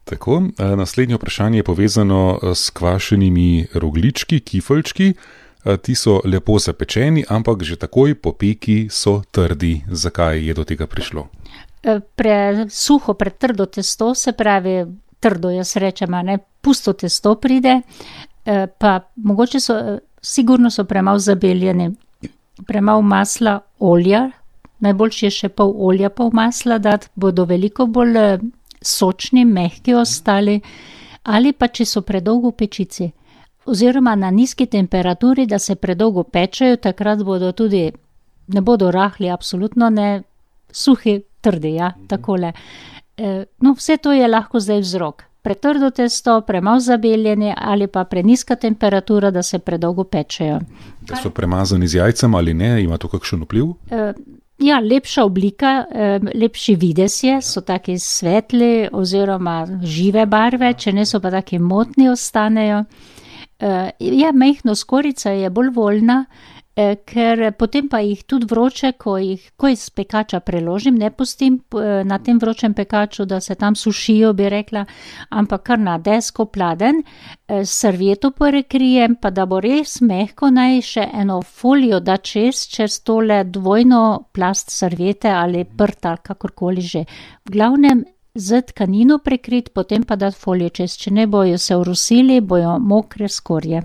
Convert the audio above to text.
Tako, naslednje vprašanje je povezano s kvašenimi rogljički, kifeljčki. Ti so lepo zapečeni, ampak že takoj po peki so trdi. Zakaj je do tega prišlo? Presuho, pretrdo testo, se pravi, trdo jaz rečem, ne, pusto testo pride, pa mogoče sigurno so premalo zabeljeni, premalo masla, olja, najboljše je še pol olja, pol masla dati, bodo veliko bolj sočni, mehki ostali, ali pa če so predolgo v pečici, oziroma na nizki temperaturi, da se predolgo pečejo, takrat bodo tudi, ne bodo rahli, absolutno ne, suhi, trdi, ja, takole. No, vse to je lahko zdaj vzrok. Pretrdo testo, premalo zabeljeni ali pa prenizka temperatura, da se predolgo pečejo. Da so premazani z jajcem ali ne, ima to kakšen vpliv? Ja, lepša oblika, lepši videz je, so taki svetli oziroma žive barve, če ne so pa taki motni ostanejo. Ja, mehno skorica je bolj voljna, ker potem pa jih tudi vroče, ko iz pekača preložim, ne pustim na tem vročem pekaču, da se tam sušijo, bi rekla, ampak kar na desko pladen, servieto prekrijem, pa da bo res mehko, naj še eno folijo da čez tole dvojno plast serviete ali prta, kakorkoli že. V glavnem z tkanino prekrit, potem pa dati folijo čez, če ne bojo se urosili, bojo mokre skorje.